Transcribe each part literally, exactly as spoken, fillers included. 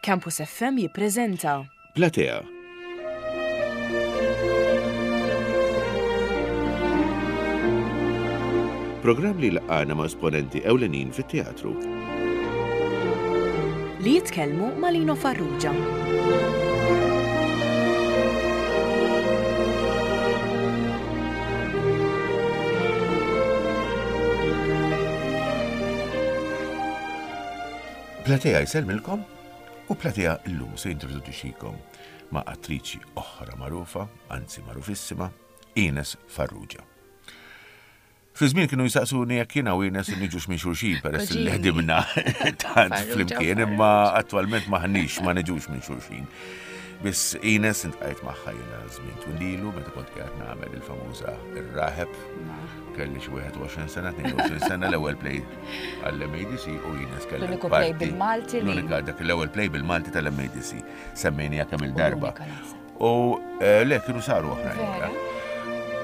Campus F M jippreżenta Platea. Programm li laqana ma' esponenti ewlenin fit-teatru. Li jitkellmu ma' Lino Farrugia. Platea jsellmilkom u Platea llum se jintroduċikom ma' attriċi oħra magħrufa, anzi magħrufissima, Ines Farrugia. Fi żmien kienu jisaqsuni jekk jiena u Ines niġux minn xulxin peress li Koġini. ħdimna tant Farrugia, flimkien, imma attwalment maħniex ma niġux minn xulxin. Biss Ines intqajt magħha jiena żmien twililu meta kont qiegħed nagħmel il-famuża Ir-Raħeb. Kelli xi wieħed u għoxrin sena, tnejn u għoxrin sena, l-ewwel play għall-M A D C u Ines kellha L-uniku play parti. bil-Malti li- L-unika dak l-ewwel play bil-Malti tal-M A D C. Semmejnija kemm il-darba. L-unika naħseb. U, eh, le kienu saru oħrajn. Vera?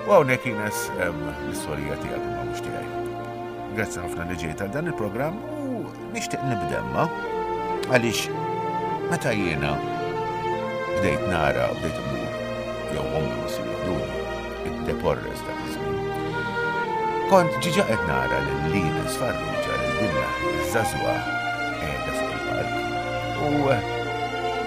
U hawnhekk Ines, em, l-istorja tiegħek imma mhux tiegħi. Grazzi ħafna li ġejt għal dan il-programm u nixtieq nibdemma għaliex meta jiena bdejt nara, bdejt immur, jew ommi missieri joħduni, id-Deporres dak iż-żmien. Kont ġiġa qed nara lil Ines Farrugia, lil din iż-żagħżugħa qiegħda fuq il-palk. U, eh,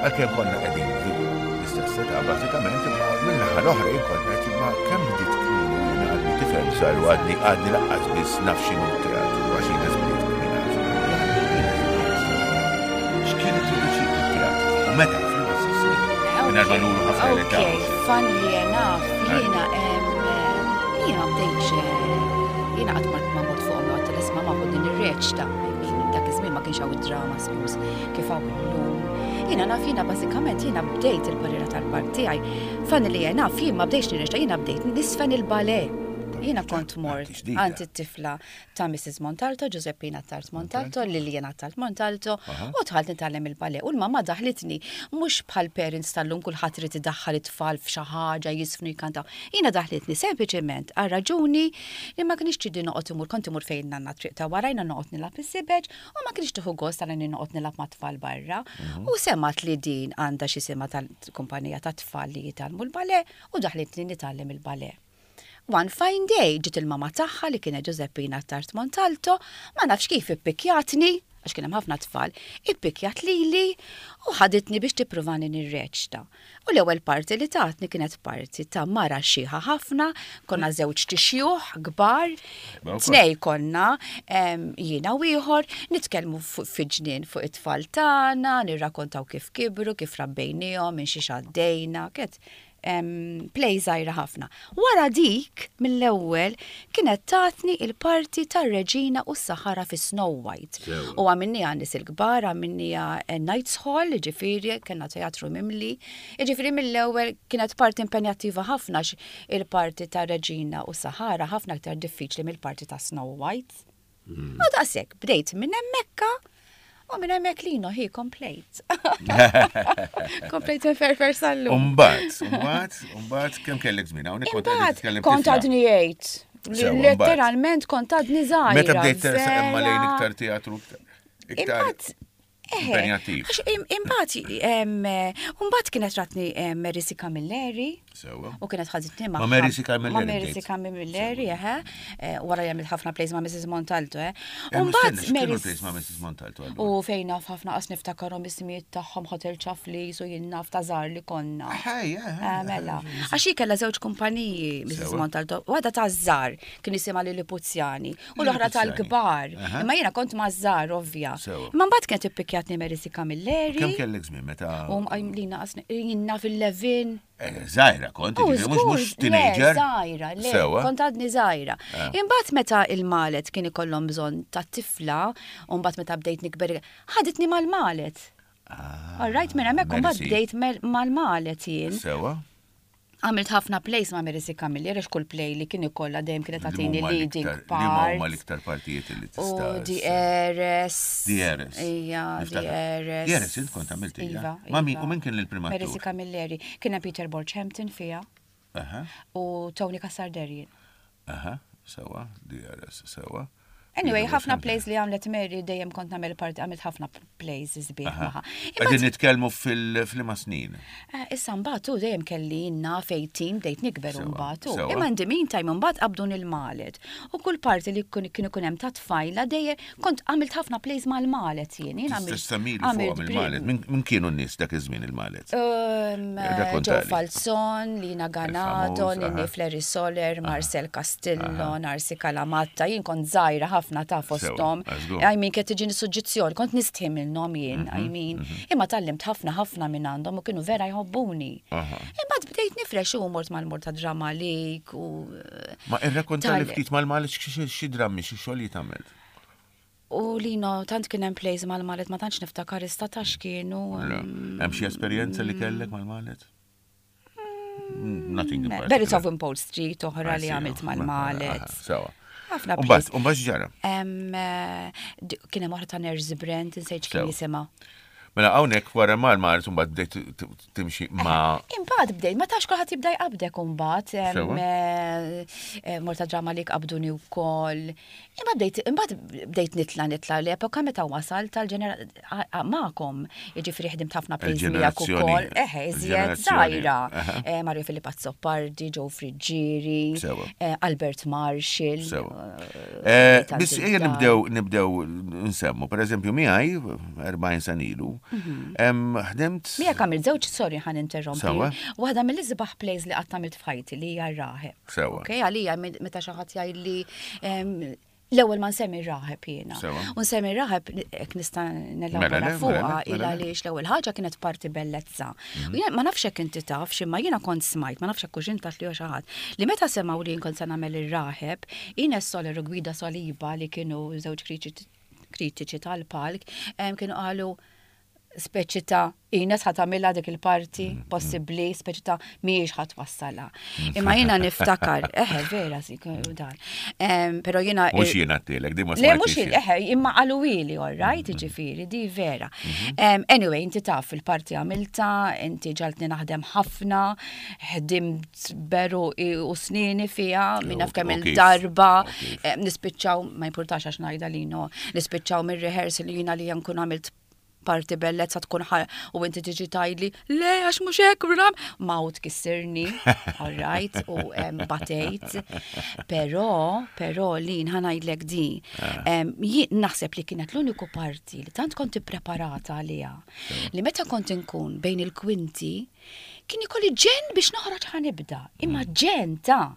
għalkemm konna qegħdin l-istess età bażikament, imma mill-naħa l-oħra jien kont qed imma kemm bdiet kmieni u jiena għadni tifel żgħar u għadni, għadni laqqas biss naf x'inhu t-teatru, għax Ines bdiet kmieni ħafna. X'kien introduċik it-teatru? U meta fl-istess snin? Mingħajr ma nuru ħafna l-età. Ok, funnily enough, jiena, em, jiena ma bdejtx, eh, jiena qatt ma ma mort fuq ommi għedt isma' ma din ir-reċta. I mean, dak iż-żmien ma kienx hawn id-drama schools kif hawn illum. Jiena naf jiena bażikament jiena bdejt il-karriera tal-part tiegħi. Funnily enough, jien ma bdejtx nirreċta, jiena bdejt nisfen il-ballet. Jiena kont mort Ġdida. għand it-tifla ta' Missus Montalto, Giuseppina Tart Montalto, Liliana Tart Montalto, Aha. u dħalt nitgħallem il-ballet. U l-mamma daħlitni, mhux bħal parents tal-lum kulħadd irid idaħħal it-tfal f'xi ħaġa jisfnu jkantaw. Jiena daħlitni sempliċement għal raġuni li ma kienx ċidi noqgħod imur, kont imur fejn nanna triq ta' warajna noqgħod nilgħab is-sibeġ u ma kienx tieħu gost għal inni noqgħod nilgħab mat-tfal barra. Mhm. U semgħet li din għandha xi sema tal-kumpanija ta' tfal li jitgħallmu l-ballet u daħlitni nitgħallem il-ballet. One fine day ġiet il-mama tagħha li kienet Giuseppina Tart Montalto, ma nafx kif ippikjatni, għax kien hemm ħafna tfal, ippikjat lili u ħaditni biex tippruvani nirreċta. U l-ewwel parti li tatni kienet parti ta' mara xiħa ħafna, konna żewġ tixjuħ kbar, Ma wkoll. tnej konna, em, jiena u ieħor, nitkellmu fu-, fi ġnien fuq it-tfal tagħna, nirrakkontaw kif kibru, kif rabbejniehom, minn xiex għaddejna, kienet em, play żgħira ħafna. Wara dik, mill-ewwel, kienet tatni il-parti tar-Reġina u s-Sahara fi Snow White. Sewa. U għamilniha nies il-kbar, għamilniha, eh, Knights Hall, ġifieri, kellna teatru mimli. Ġifieri mill-ewwel kienet parti impenjattiva ħafna għax il-parti tar-Reġina u s-Sahara ħafna aktar diffiċli mill-parti ta' Snow White. Hmm. U daqshekk, bdejt minn hemmhekka u minn hemmhekk lino hi komplejt. Komplejt inferfer sal-lum. Umbagħad, umbagħad, umbagħad, kemm kellek żmien? Hawnhekk kont qed Imbagħad titkellem kont tifla. għadni jgħid. Sewa, mbagħad. Letteralment kont għadni żgħira. Meta bdejt tersaq imma lejn vera. iktar teatru, iktar Imbagħad, eħe, impenjattiv. għax im-, imbagħad, em, imbagħad kienet ratni, em, Mary C. Camilleri. Sewa. U kienet ħaditni Ma' magħha. Mary C. Camilleri Ma' Mary bdejt. C. Camilleri, eħe. Eh, wara li għamilt ħafna plays ma' Missus Montalto, eh. Eh, U mbagħad mistenna, x'kienu Mary plays ma' Missus Montalto allura? U fejn naf ħafna qas niftakarhom ismijiet tagħhom Hotel Ċaflis u jien naf ta' żgħar li konna. Ħaj, ħaj, Eh, mela. Għax hi kellha żewġ kumpaniji Missus Sewa. Montalto, waħda ta' żgħar kien jisimha Lillipuzjani u l-oħra Lillipuzjani. tal-kbar. Aha. Imma jiena kont ma' żgħar ovvja. Sewa. Imma mbagħad kienet ippikjatni Mary C. Camilleri. Kemm kellek żmien meta? U m-, lina qasni, jiena fil-Levin. Eh, żgħira kont, Oh, jiġifieri, mhux mhux żgur, le, teenager. Żgħira, le, Sewa. kont għadni żgħira. Eh. Imbagħad meta il-Malet kien ikollhom bżonn ta' tifla, u mbagħad meta bdejt nikber, ħaditni mal-Malet. Ah, All right, minn hemmhekk imbagħad Mary C. bdejt mel- mal-Malet jien. Sewa. Għamilt ħafna plays ma' Mary C. Camilleri, għax kull play li kien ikollha dejjem kienet Li tagħtini huma leading l-iktar- Li huma part. l-iktar partijiet li U tista' The Heiress. The Heiress. Ija, The Niftakar. Heiress. The Heiress, int kont għamilt hija? Iva, Ma' min- iva. u min kien il-prim Mary attur? C. Camilleri. Kien hemm Peter Borchampton fiha Aha, u Tony Cassarderian. aha, sewa, The Heiress, sewa. Anyway, ħafna plays li għamlet Mary dejjem kont nagħmel parti, għamilt ħafna plays sbieħ magħha. Qegħdin nitkellmu fil-liema snin. Eh, issa mbagħad u dejjem kelli naf tmentax, bdejt nikber mbagħad. Imma in the meantime mbagħad qabdun il-Malet. U kull parti li kien ikun hemm ta' tfajla dejjem kont għamilt ħafna plays mal-Malet jien. Tista' fuq il-Malet. Min kienu n-nies dak iż-żmien il-Malet? Joe Falzon, Lina Ganato, Nini Fleri Soler, Marcel Castillo, Narsi Calamatta, jien kont żgħira ħafna ta' fosthom. I mean, kienet tiġini suġġizzjoni, kont nistħi minnhom jien, I mhm, mean, mhm. imma tgħallimt ħafna ħafna minn għandhom u kienu vera jħobbuni. Imma bdejt nifrex u mort mal-Malta Drama League u. Ma irrakkonta li ftit mal-Malet xi drammi, xi xogħol għamilt. U Lino, tant kien hemm plays mal-Malet, ma tantx niftakar issa ta' x'kienu. Hemm xi esperjenza li kellek mal-Malet? Nothing in particular. Berries of Wimpole Street oħra li għamilt mal-Malet. Sewa. Ħafna plays. Umbagħad ġara? Eh, kien hemm oħra ta' Nurse Brent, insejt kien jisimha. Mela hawnhekk wara mal-Malet mbagħad bdejt timxi ma' Imbagħad bdejt, ma tax kulħadd jibda jqabdek imbagħad. Eh, eh, Malta Drama League qabduni wkoll. Imma bdejt imbagħad bdejt nitla nitla l-epoka meta wasal tal-ġenera magħkom. Jiġifieri ħdimt ħafna plays miegħek ukoll. Eħe, iżjed żgħira. Eh, Mario Filippo Azzopardi, Joe Friggieri, Albert Marshall. Biss ejja nibdew nibdew nsemmu, per eżempju miegħi erbgħin sena ilu, ħdimt. Miegħek għamilt żewġ, sorry ħa ninterrompi. Waħda mill-isbaħ plays li qatt għamilt f'ħajti li hija Raħeb. Ok, għalija meta xi ħadd jgħidli l-ewwel ma nsemmi Raħeb jiena. U nsemmi Raħeb hekk nista' nelabora fuqha il għaliex l-ewwel ħaġa kienet parti bellezza. U ma nafx hekk inti taf x'imma jiena kont smajt, ma nafx hekk hux intat li xi ħadd. Li meta semgħu li kont se nagħmel ir-Raħeb, Ines Soler u Gwida Soliba li kienu żewġ kritiċi tal-palk, kienu qalu speċi ta' Ines ħa tagħmilha dik il-parti, mm, mm. possibbli, speċi ta' mhijiex ħa twassalha. Mm. Imma jiena niftakar, eħe, vera, dan. Pero jiena. Mhux jiena għedtilek, di ma Le, mhux eħe, imma qaluli, all right, ġifieri, di vera. Mhm. Anyway, inti taf il-parti għamilta, inti ġagħaltni naħdem ħafna, ħdimt beru u snini fija, minna f'kemm il-darba, nispiċċaw, ma importax għax ngħidha Lino, nispiċċaw mir-rehearsal li jiena li nkun għamilt parti bellezza tkun u inti tiġi tgħidli, le, għax mhux hekk, ram, mawt kissirni, all right, u batejt. Però, però li ħa ngħidlek di, ah. naħseb li kienet l-uniku parti li tant kont preparata għaliha. Li meta kont inkun bejn il-kwinti, kien ikolli ġen biex noħroġ ħa nibda, imma mm. ġen ta'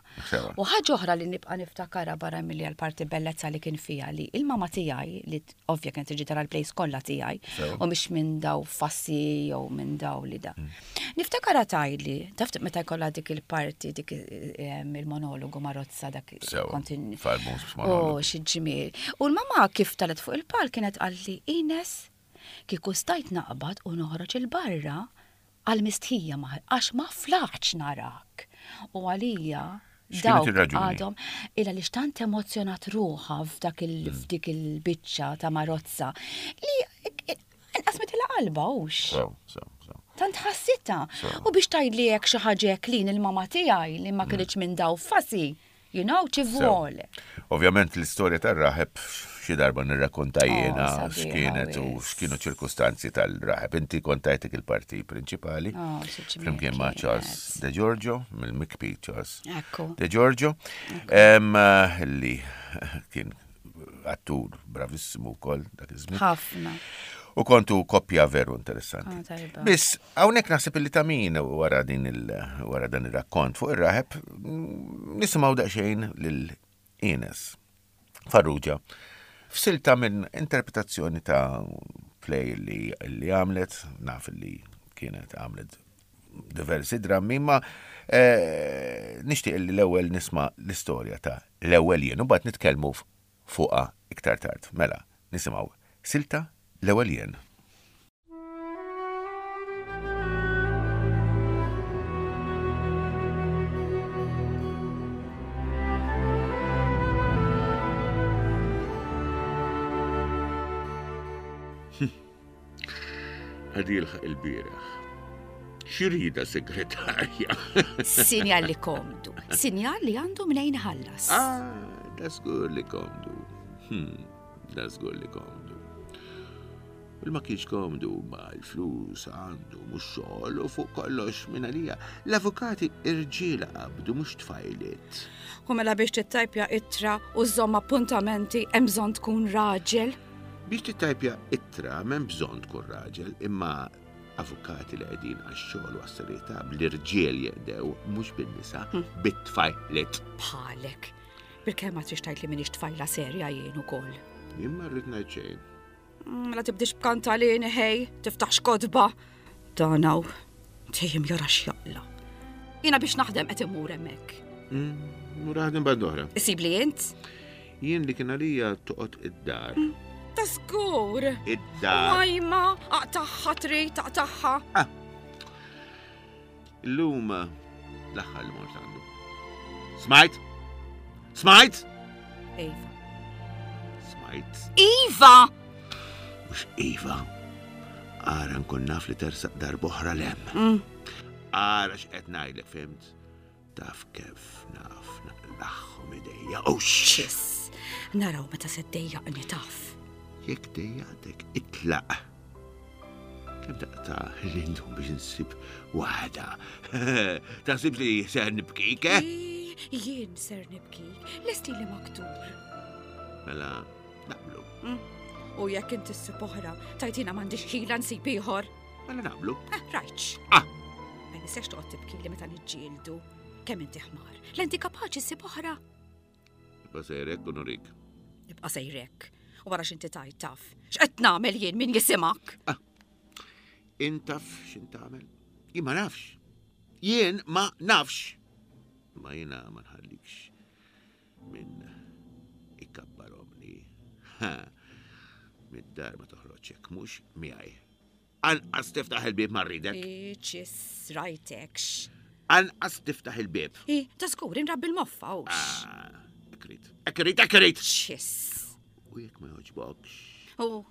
U ħaġa oħra li nibqa' niftakara barra milli għal-parti bellezza li kien fija li il-mama tiegħi li ovvja kien tiġi tara l-plays kollha tiegħi u mhix minn daw fassi jew minn daw li da. Mm. Niftakara tgħidli, taf meta jkollha dik il-parti dik il-monologu Marozza dak kontin. Oh, xi ġmiel. U l-mama kif telgħet fuq il-pal kienet qalli Ines, kieku stajt naqbad u noħroġ il-barra għal-mistħija għax ma flaħtx narak. U għalija X'kienet dawk ir-raġuni? għadhom illa li xtant emozjonat ruħha f'dak il Mm. f'dik il-biċċa ta' Marozza li inqasmet qalba hux. Sew, sew, sew. Tant ħassita. Sew. U biex tgħidli hekk xi ħaġa hekk lin il-mama tiegħi li Mm. ma kinitx minn daw fasi, you know, ci vuole. Ovvjament l-istorja tar-raħeb xi darba nirrakkonta jiena Oh, sabiħa x'kienet u wis. x'kienu ċirkustanzi tal-raħeb. Inti kontajtek il-parti prinċipali. Oh, xi ġmiel Flimkien ma' kienet. Charles De Giorgio, mill-Mikpi Charles Ekku. De Giorgio, em, eh, li kien attur bravissimu wkoll dak iż-żmien. Ħafna. U kontu koppja veru interessanti. Ah, tajba. Biss, hawnhekk naħseb illi ta' min wara din il wara dan ir-rakkont fuq ir-raħeb mm, nisimgħu daqsxejn lil Ines Farrugia f'silta minn interpretazzjoni ta' play li, li għamlet, naf li kienet għamlet diversi drammi, ma eh, nixtieq li l-ewwel nisma' l-istorja ta' l-ewwel jien u mbagħad nitkellmu fuqha iktar tard. Mela, nisimgħu silta l-ewwel jien. Għadi jilħaq il-bieraħ. X'irida segretarja? Sinjal li komdu. Sinjal li għandu mnejn ħallas. Ah, da żgur li komdu. Hmm, da żgur li komdu. Il ma kienx komdu ma l-flus għandu mhux xogħol u fuq kollox minn għalija. L-avukati irġiel qabdu mhux tfajliet. U mela biex tittajpja ittra u żomm appuntamenti hemm bżonn tkun raġel. Biex tittajpja ittra m'hemm bżonn tkun raġel, imma avukati li qegħdin għax-xogħol u għas-serjetà bl-irġiel jeqdew mhux bin-nisa, bit-tfajliet. Bħalek. Bilkemm ma trix tgħid li m'iniex tfajla serja jien ukoll. Jien ma rrid ngħid xejn. Mela tibdix b'kantalini ħej, tiftaħx kotba. Dan hawn, dejjem jara x'jaqla. Jiena biex naħdem qed immur hemmhekk. Mur aħdem band oħra. Isib li int? Jien li kien għalija toqgħod id-dar. Ta' żgur. Id-dar. Majma, aqtaħħa trid taqtaħħa. Illum l-aħħar li mort għandu. Smajt? Smajt? Iva. Smajt. Iva! Mhux Iva. Ara nkun naf li tersaq darb'oħra lem. Mm. Ara x'qed ngħidlek, fimt? Taf kif naf naqlaħħom idejja. Ux! Ċis, naraw meta se ddejjaqni taf. Jekk dejjaqtek, itlaq. Kemm taqta' li ndum biex insib waħda. Taħsib li ser nibkik, eh? Ii, Jien ser nibkik, lesti li maktur. Mela, naqblu. Mm. U jekk inti ssib oħra, tajtina m'għandix ħila nsib ieħor. Mela naqblu. Ah, rajtx. Ah! Ma nistax toqgħod tibki li meta niġġieldu. Kemm inti ħmar. L-inti kapaċi ssib oħra. Ibqa' sejrek u nurik. Ibqa' sejrek. U wara x'inti tajt taf. X'qed nagħmel jien min jisimak? Intaf x'int tagħmel? Jien ma nafx. Jien ma nafx. Ma jiena ma nħallikx minn ikabbaromni. Ha. Mid-dar ma toħroġ hekk mhux miegħi. Anqas tiftaħ il-bieb ma rridek. Ċis, rajtekx. Anqas tiftaħ il-bieb. I, ta' żgur inrabbi l-moffa hux. Ah, Ekrit. Ekrit, ekrit. Ċis. U jekk ma joġbokx. U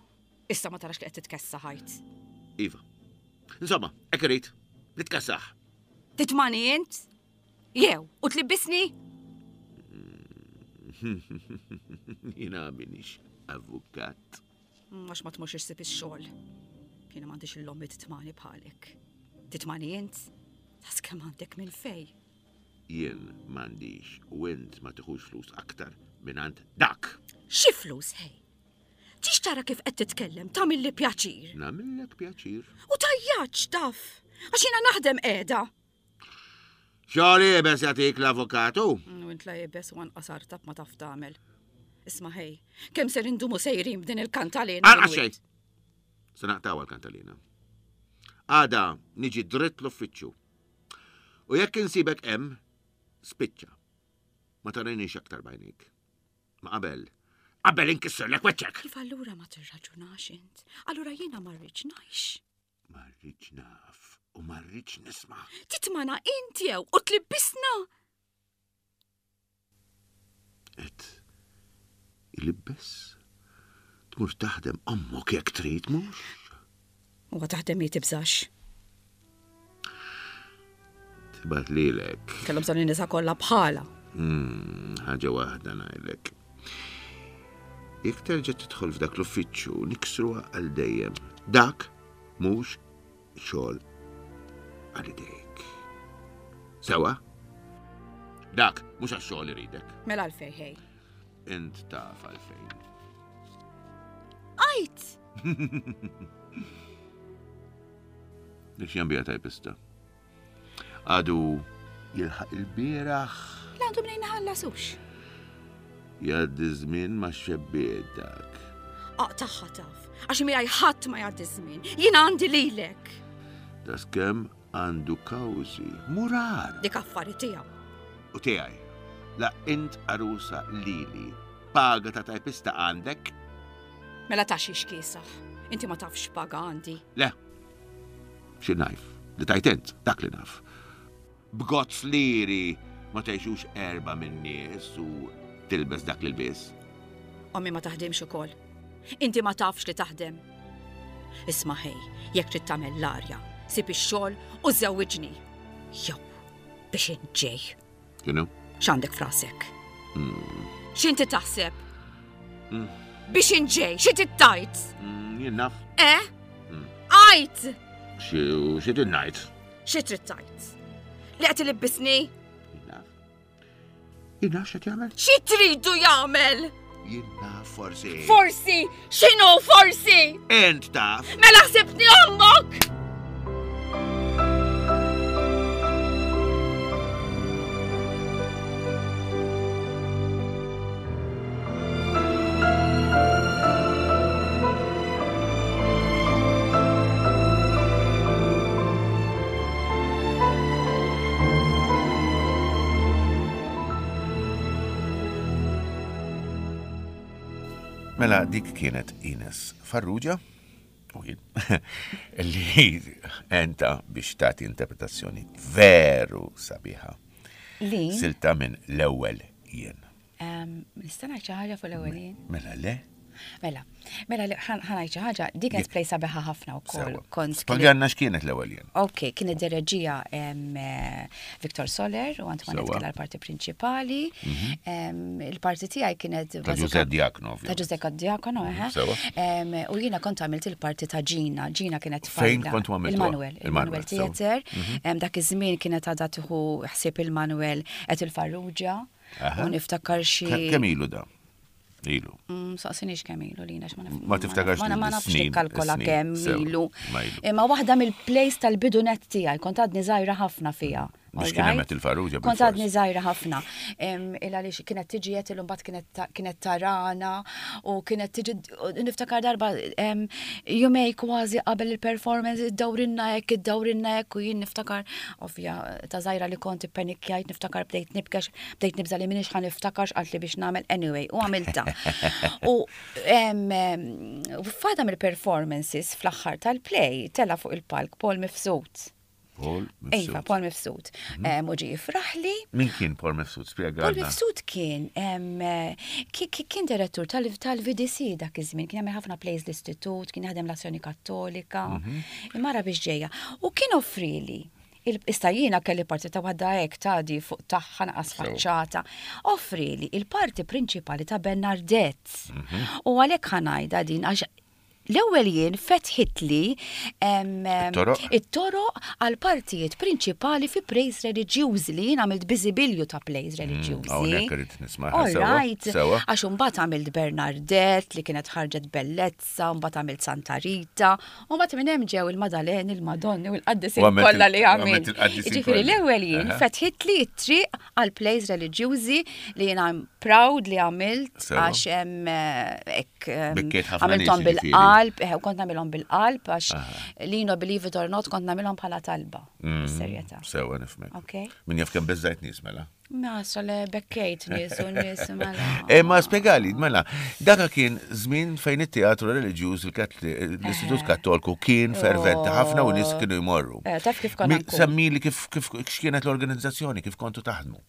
issa ma tarax li qed titkessa ħajt. Iva. Insomma, ekrit. Nitkassaħ. Titmani int? Jew, u tlibbisni? Jiena minix avukat. Għax ma tmurx issib ix-xogħol. Jiena m'għandix il-lommi titmani bħalek. Titmani int? Tas kemm għandek minn fej. Jien m'għandix u int ma tiħux flus aktar minn għand dak. Xi flus ħej? Tix tara kif qed titkellem tagħmilli pjaċir. Nagħmillek pjaċir. U tajjaċ taf, għax jiena naħdem qiegħda. Xogħol iebes jagħtik l-avukatu? U int la iebes u anqas artab ma taf tagħmel. Isma' ħej, kemm ser indumu sejrin b'din il-kantalina? Anqas xejn. Se naqtaw għal-kantalina. Għada niġi dritt l-uffiċċju. U jekk insibek hemm, spiċċa. Ma tarinix aktar bajnik. Ma qabel. Qabel inkisserlek weċċek. Kif allura ma tirraġunax int? Allura jiena ma rridx ngħix. Ma rridx naf u ma rridx nisma'. Titmana int jew u tlibbisna. Et ilibbes? Tmur taħdem ommok jekk trid mhux? Huwa taħdem hi tibżax. Tibgħat lilek. Kellhom bżonn in-nisa kollha bħala. Hmm, ħaġa waħda ngħidlek. Jekk terġa' tidħol f'dak l-uffiċċju niksruha għal dejjem. Dak mhux xogħol għal idejk. Sewa? Dak mhux għax-xogħol iridek. Mela għalfejn ħej. Int taf għalfejn. Għajt! Dik x'jambija tajpista. Għadu jilħaq il-bieraħ. La għandu mnejn ħallasux. Jgħaddi żmien ma' xebbiet dak. Aqtaħħa taf, għax miegħi ħadd ma jgħaddi żmien. Jiena għandi lilek. Daskemm għandu kawżi murar. Dik affari tiegħu. U tiegħi. La int arusa lili. Paga ta' tajpista għandek? Mela ta' xiex kiesaħ. Inti ma tafx paga għandi. Le. Xi najf? Li tajt int, dak li naf. B'gozz liri ma tgħixux erba' min-nies u tilbes dak li lbies. Ommi ma taħdimx ukoll. Inti ma tafx li taħdem. Isma' ħej, jekk trid tagħmel l-arja, sib ix-xogħol u żewwiġni. Jew biex inġej. X'inhu? X'għandek frasek? X'inti taħseb? Mm. Biex inġej, xi tittajt? Mm, jien naf. Eh? Mm. Għajt! Xi trid ngħid? Xi trid tgħid? Li qed ilibbisni? Jien naf. Jien naf x'qed jagħmel? Xi tridu jagħmel? Jien naf forsi. Forsi! X'inhu forsi? Int taf. Mela ħsibtni ommok! Mela dik kienet Ines Farrugia u jien li enta biex tagħti interpretazzjoni veru sabiħa. Li? Silta minn l-ewwel jien. Em, Nista' ngħid xi ħaġa fuq l-ewwel jien? Mela le? Mela, mela li- ħa ngħid xi ħaġa, dik kienet play sabiħa ħafna wkoll. Sewa. Kont Spjegalna x'kienet l-ewwel jien. Ok, kienet direġija em, eh, Victor Soler u Antoinette Sewa. kellha l-parti prinċipali. Em, Il-parti tiegħi kienet Ta' bażika- Giuseppe Diacono, Ta' ovvjament. Giuseppe Diacono, eħe. Sewa. Em, U jiena kont għamilt il-parti ta' Gina. Gina kienet Fejn tfajla. kontu għamiltuha? Il-Manuel, Il-Manuel, il-Manuel sewa. Mhm. Theater. Em, Dak iż-żmien kienet għadha tieħu ħsieb il-Manuel qed il-Farrugia. Aha. U niftakar xi. Ke- Kemm ilu da? Ilu. Mm, Saqsinix kemm ilu lina ma naf. Ma tiftakarx Ma ma nafx l-snin, nikkalkola is-snin, kemm sewa, ilu. ma ilu. Imma waħda mill-plays tal-bidunet tiegħi kont għadni żgħira ħafna fiha. Biex kien alright? hemm il-Farrugia Kont bil-fors. għadni żgħira ħafna. Em, Il għaliex kienet tiġi qed illum mbagħad kienet ta- kienet tarana u kienet tiġi u niftakar darba em, jumej kważi qabel il-performance iddawrinna hekk, iddawrinna hekk u jien niftakar ovvja ta' żgħira li kont ippenikjajt niftakar bdejt nibkex bdejt nibża li minix ħa niftakar x'qalt li biex nagħmel anyway u għamilta. U em, em, u f'għada mill-performances fl-aħħar tal-play tela fuq il-palk Paul Mifsud. Paul Iva, Mifsud. Paul Mifsud. Em, U ġie jifraħli. Min kien Paul Mifsud? Spjegalna. Paul Mifsud kien em, eh, ki- ki- kien direttur tal- tal-V D C dak iż-żmien, kien jagħmel ħafna plays l-istitut, kien jaħdem l-Azzjoni Kattolika, imma ra biex ġejja. U kien offrili il- Issa jiena kelli parti ta' waħda hekk tadi fuq tagħha naqas Sew. faċċata. Offrili il-parti prinċipali ta' Bernardette. U għalhekk ħa ngħidha din għax l-ewwel jien fetħitli em, em, It-toroq? it-toroq għal partijiet prinċipali fi plays reliġjużi li jien għamilt biżibilju ta' plays reliġjużi. Hawnhekk irrid nismaha, All sewa, right. sewa. Għax imbagħad għamilt Bernardette li kienet ħarġet bellezza, mbagħad għamilt Santa Rita, u mbagħad minn hemm ġew il-Madaleni, il-Madonni u l-qaddisin U għamilt kollha il- li għamilt għamilt. il-qaddisin Jiġifieri kollha. l-ewwel jien Aha. fetħit li t-triq għal plays reliġjużi li jiena I'm proud li għamilt Sewa. għax hemm eh, hekk em, Bekkiet ħafna għamilthom nies, jiġifieri. bil-qalb, eh, u kont nagħmilhom bil-qalb għax lino believe it or not kont nagħmilhom bħala talba. Mm. Serjetà. Sewa nifhmek. Ok. Min jaf kemm beżajt nies mela. Ma le bekkejt nies u nies mela. E ma spiegali, mela, daka kien żmien fejn it-teatru reliġjuż l-Istitut Kattolku kien ferventi ħafna u nies kienu jmorru. Eh, taf kif konna Mi- nkun. Semmili kif kif x'kienet l-organizzazzjoni, kif kontu taħdmu.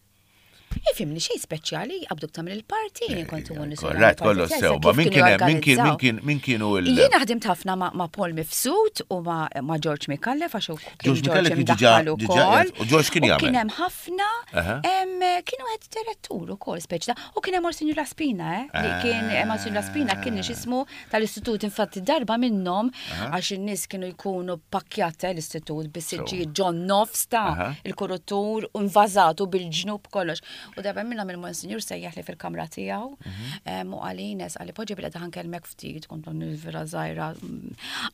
Ifimni xej speċjali, qabduk tagħmel il-parti, jien kont ikun nies Korrett, kollu sew, ma min kien hemm, min kien min kien min kienu il Jiena ħdimt ħafna ma' ma' Paul Mifsud u ma' ma' George Micallef għax hu kien George Micallef kien diġà- imdaħħal diġà ukoll. qiegħed- u George kien U jagħmel. Kien hemm ħafna, Aha. em, kienu qed direttur ukoll speċi ta' u kien hemm Monsignor Laspina, eh, li kien Ah. Monsignor Laspina kien x'ismu tal-istitut infatti darba minnhom għax in-nies kienu jkunu pakkjat eh, l-istitut bis-siġġijiet ġon nofs ta' Aha. il-kurutur u invażatu bil-ġnub kollox. U darba minnhom il-Monsignor sejjaħ li fil-kamra tiegħu em, u qal Ines, qalli poġġi bil ħa nkellmek ftit, kont vera żgħira.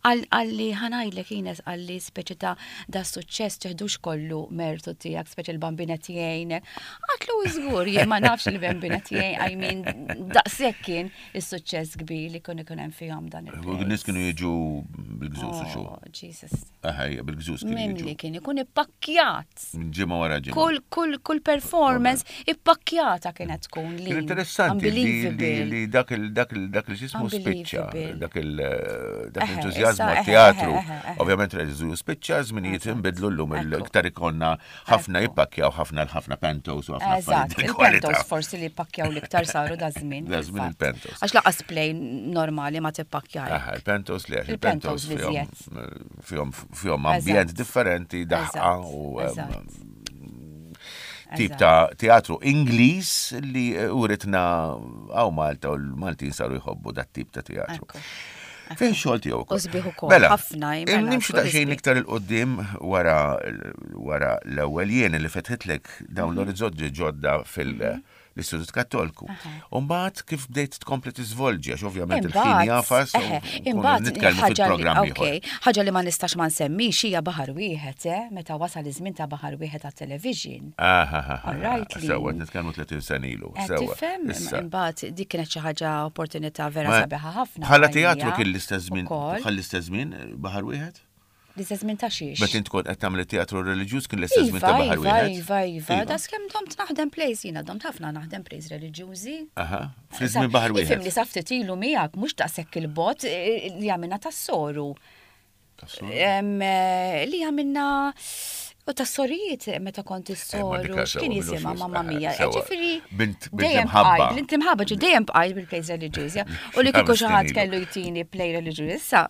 Qalli ħa ngħidlek Ines, qalli speċi ta' da suċċess teħdux kollu mertu tiegħek, speċi l-bambinet jgħinek. Għatlu żgur, jien ma nafx il-bambinet jgħin, I mean, daqshekk kien is-suċċess kbir li kun ikun hemm fihom dan il Nies kienu jiġu bil-gżuż u xu. Oh, Jesus. Aha, ija, bil-gżuż kienu Mimli jiġu. kien ikun ippakkjat. Minn ġimgħa wara ġimgħa. Kull, kull, kull performance ippakkjata kienet tkun li. Kien interessanti li, li, Unbelievable. li dak il dak il dak il xismu spiċċa, Unbelievable. dak il dak Eħe, l-entużjażmu issa, eħe, għat-teatru. eħe, eħe, eħe. Ovvjament reġiżu spiċċa, żminijiet inbidlu llum Ekku. il-iktar ikonna ħafna Ekku. jippakkjaw ħafna ħafna pentos u ħafna Eżatt, affarijiet tal-kwalità. il-pentos forsi li pakjaw l-iktar saru da żmien. Da żmien fil-fatt. il-pentos. Għax laqas play normali ma tippakkjar. Aha, il-pentos li għax Il-pentos il-pentos li fihom żjed. fihom fihom ambjent Eżatt. differenti, daħqa Eżatt, u em, eżatt. Tip ta' teatru Ingliż li uritna hawn Malta u l-Maltin saru jħobbu dat tip ta' teatru. Ekku. Fejn xogħol tiegħu ukoll. U sbieħ ukoll, Mela, ħafna, mela, nimxu kull daqsxejn sbieħ. iktar 'il quddiem wara wara l-ewwel jien li fetħitlek dawn Mhm. l-orizzonti ġodda fil-Istitut Kattolku. U mbagħad kif bdejt tkompli tiżvolġi għax ovvjament il-ħin Imbagħad, jafas u eħe, nkunu imbagħad nitkellmu ħaġa li- fil-programm ieħor. okej, ħaġa li ma nistax ma nsemmix hija baħar wieħed, eh, meta wasal iż-żmien ta' baħar wieħed għat-television. Aha, All right, li- Sewwa, nitkellmu tletin sena ilu. Qed Sewwa. tifhem, Issa. imbagħad dik kienet xi ħaġa opportunità vera Ma- sabiħa ħafna. Bħala għalija teatru kien l-istess żmien, ukoll. bħal l-istess żmien eh, baħar wieħed? L-istess żmien ta' xiex. Meta int kont qed tagħmel it-teatru reliġjuż kien l-istess żmien ta' Iva, baħar iva, wieħed? iva, iva, das kemm domt naħdem plays jiena, domt ħafna naħdem plays reliġjużi. Aha, fl-żmien baħar wieħed. Ifhimni sa ftit ilu miegħek mhux daqshekk il-bot eh, li għamilna tas-soru. Em, eh, Li għamilna u tas-sorijiet meta kont Eh, ma is-soru, dik x'kien sewwa, jisimha minnu mamma xis- mia. eh, sewwa. Ġifieri Bint- bint dejjem imħabba. bqajt, bint imħabba, ġi dejjem bqajt bil-plays reliġjużi. U li kieku Ħames xi ħadd snin ilu. kellu jtini play reliġjuż issa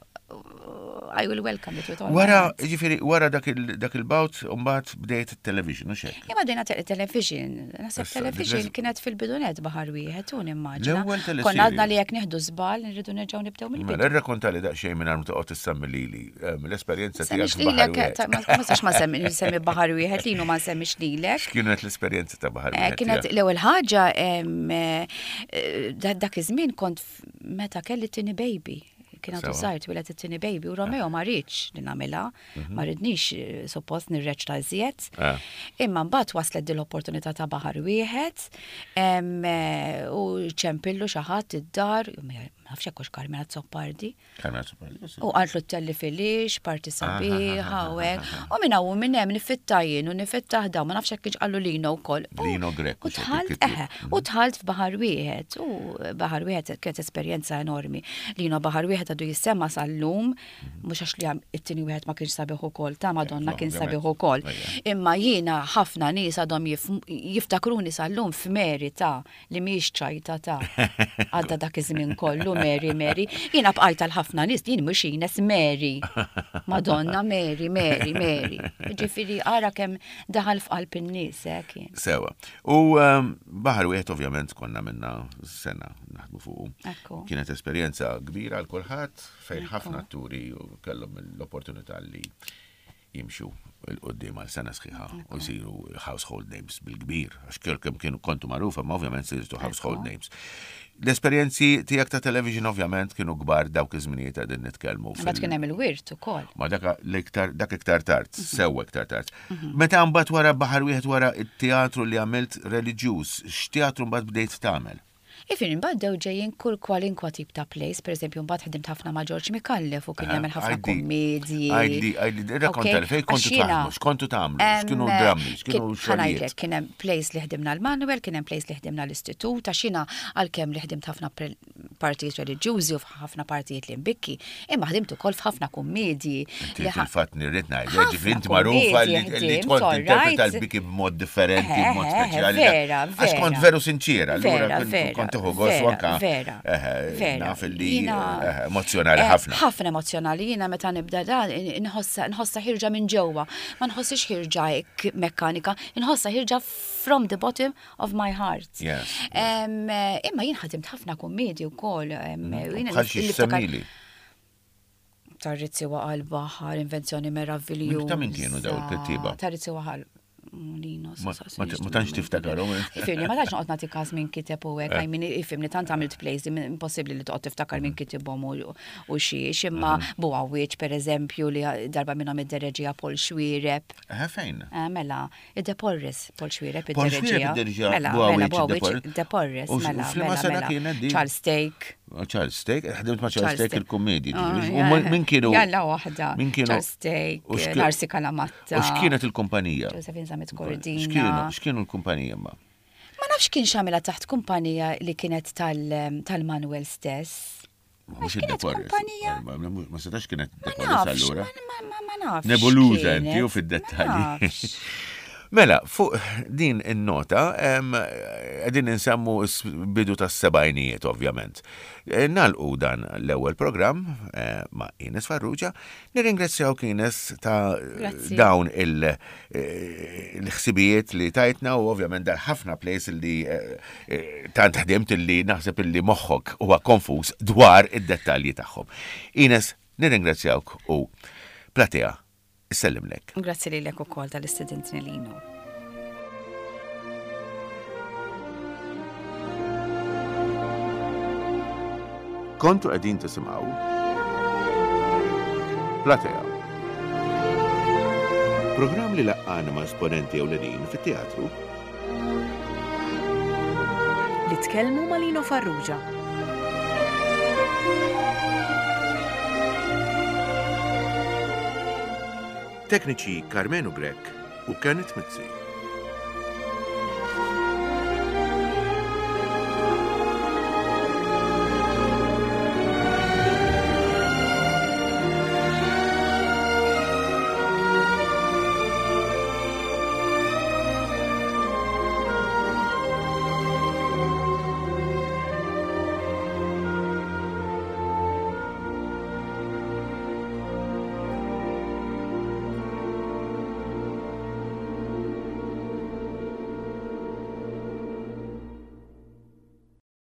I will welcome it with all my Wara, heart. ġifieri, wara dak il- dak il-bout, mbagħad bdejt it-television, u xek. Imma dejna te- television, naħseb Issa, television dik kienet fil-bidunet baħar wieħed u nimmaġina. L-ewwel teleserje. Konna għadna li jekk nieħdu żball nirridu nerġgħu nibdew mill-bidu. Mela, irrakkontali daqsxejn minn ma toqgħod tissemmi lili, em, l-esperjenza tiegħek Semmix f'baħar lilek, wieħed. ta- ma ma nistax ma semmi nsemmi baħar wieħed lilu ma nsemmix lilek. X'kienet l-esperjenza ta' baħar Eh, wieħed? Kienet tiegħek? l-ewwel ħaġa em, eh, eh, da- dak iż-żmien kont f- meta kelli tieni baby. Kien għadu Sewa. żgħir twieled it-tieni baby u Romeo ma riedx li nagħmilha, ma ridnix eh, suppost nirreċta iżjed. Ah. Imma mbagħad waslet din l-opportunità ta' baħar wieħed em, eh, u ċempillu xi ħadd id-dar, ma nafx hekk hux Carmen Azzopardi. Carmen Azzopardi, sì. U qaltlu telli filix, parti sabiħa, u hekk. U minn hawn u minn hemm nifitta jien u nifitta ħdaw, ma nafx hekk kienx qallu Lino wkoll. U- Lino Grech, U u xek dħalt, kitbu. eħe, u dħalt f'baħar wieħed. U baħar wieħed kienet esperjenza enormi. Lino baħar wieħed għadu jissemma sal-lum, mhux għax li għam- it-tieni wieħed ma kienx sabiħ ukoll, ta' Madonna No, kien ovvjament. sabiħ ukoll. Ejja. Imma jiena ħafna nies għadhom jif- jiftakruni sal-lum f'Mary ta' li mhijiex ċajta ta' għadda dak iż-żmien kollu Mary Mary. Jiena bqajt għal ħafna nies jien mhux Ines Mary. Madonna Mary Mary Mary. Ġifieri ara kemm daħal f'qalb in-nies hekk kien. Sewa. U um, baħar wieħed ovvjament konna minna sena naħdmu fuqu. Ekku. Kienet esperjenza kbira għal kulħadd fejn ħafna atturi u kellhom l-opportunità li jimxu 'il quddiem għal sena sħiħa u jsiru household names bil-kbir, għax kemm kienu kontu magħrufa, ma ovvjament sirtu household names. L-esperjenzi tiegħek ta' television ovvjament kienu kbar dawk iż-żminijiet qegħdin nitkellmu. Mbagħad fil- kien hemm il-wirt ukoll. Ma dak l-iktar dak iktar tard, sewwa iktar tard. Meta mbagħad wara baħar wieħed wara it-teatru li għamilt reliġjuż, x'teatru mbagħad bdejt tagħmel? Ifin, imbagħad dew ġejjin kull kwalinkwa tip ta' plays, per eżempju, mbagħad ħdimt ħafna ma' George Micallef u kien jagħmel ħafna Għajdi, kummedji. Għajdi, għajdi, rrakkonta li fejn kontu Għax jiena- taħdmu, x'kontu tagħmlu, x'kienu Em, drammi, x'kienu kien- xogħlijiet. ħa ngħidlek, kien hemm plays li ħdimna l-Manuel, kien hemm plays li ħdimna l-Istitut, għax jiena għalkemm li ħdimt ħafna pre- partijiet reliġjużi u ħafna partijiet li mbikki, imma ħdimt ukoll f'ħafna kummedji. Inti li ħa- fil-fatt nirrid ngħid, Ħafna ġifieri inti magħrufa li kummedji li ħdimt, tkun all tinterpreta right. l-biki b'mod differenti, Eħe, b'mod eħe, speċjali. vera, Għax kont vera. veru sinċira, allura Vera, kont- vera, kont tieħu gost u vera, anka vera, eħe, vera. naf li Jiena- eħe, emozjonali Eh, ħafna. Ħafna emozjonali, jiena meta nibda dan inħossa nħossa ħirġa minn ġewwa, ma nħossix ħirġa hekk mekkanika, inħossa ħirġa from the bottom of my heart. Yes, yes. Em, eh, Imma jien ħadimt ħafna kummedji wkoll. em, jiena Bħal xi niftakar- semmili. Tar-Rizzi waqa' l-baħar, invenzjoni meraviljuża. Ta' min kienu daw il-kittieba? Tar-Rizzi waqa' Lino, Ma- ma- ma tantx tiftakarhom, eh? Ifhimni, ma tantx noqgħod nagħti każ min kiteb u hekk, I mean, ifhimni tant għamilt plays li impossibbli li toqgħod tiftakar min kitibhom u u xiex, imma Mhm. Bugħawieġ pereżempju li darba minnhom iddereġija Paul Xuereb. Eħe fejn? Eh, Mela, id-De Porres, Paul Xuereb Paul Xuereb iddereġija. iddereġija Mela, Bugħawieġ mela, id-De Bugħawieġ Porres. De Porres, U x- mela, u f'liema mela, sena mela. kienet din? Charles Stake. Charles Stake, ħdimt ma' Charles Charles Stake Stake. il-kommedji. Ah, ġifieri. U ja, min- min kienu? Jalla waħda. Min kienu? Charles Stake, u x'kien- Narsi Calamatta. U x'kienet il-kumpanija? Josephine Zammit Cordina. X'kienu x'kienu l-kumpanija ma? Ma nafx kien xamela taħt kumpanija li kienet tal- tal-Manuel stess. Ma mhux Għax kienet id-De Porres. kumpanija. Ma ma- ma setax kienet Ma De Porres nafx, allura. ma- ma- ma- ma nafx. Nebuluża kienet, inti u ma fid-dettalji. nafx. Mela, fuq din in-nota, qegħdin insemmu s-bidu tas-sebgħinijiet, ovvjament. E, nagħlqu dan l-ewwel programm eh, ma' Ines Farrugia. Nirringrazzjawk, Ines, ta' Grazzi. dawn il- eh, il-ħsibijiet li tajtna u ovvjament dar ħafna plays li eh, eh, tant ħdimt li naħseb illi moħħok huwa konfuż dwar id-dettalji tagħhom. Ines, nirringrazzjawk u Platea issellimlek. Grazzi lilek ukoll tal-istedintni, Lino. Kontu qegħdin tisimgħu Platea. Programm li laqqana ma' esponenti ewlenin fit-teatru. Li tkellmu ma' Lino Farrugia. Tekniċi Carmenu Grech u Kenneth Mizzi.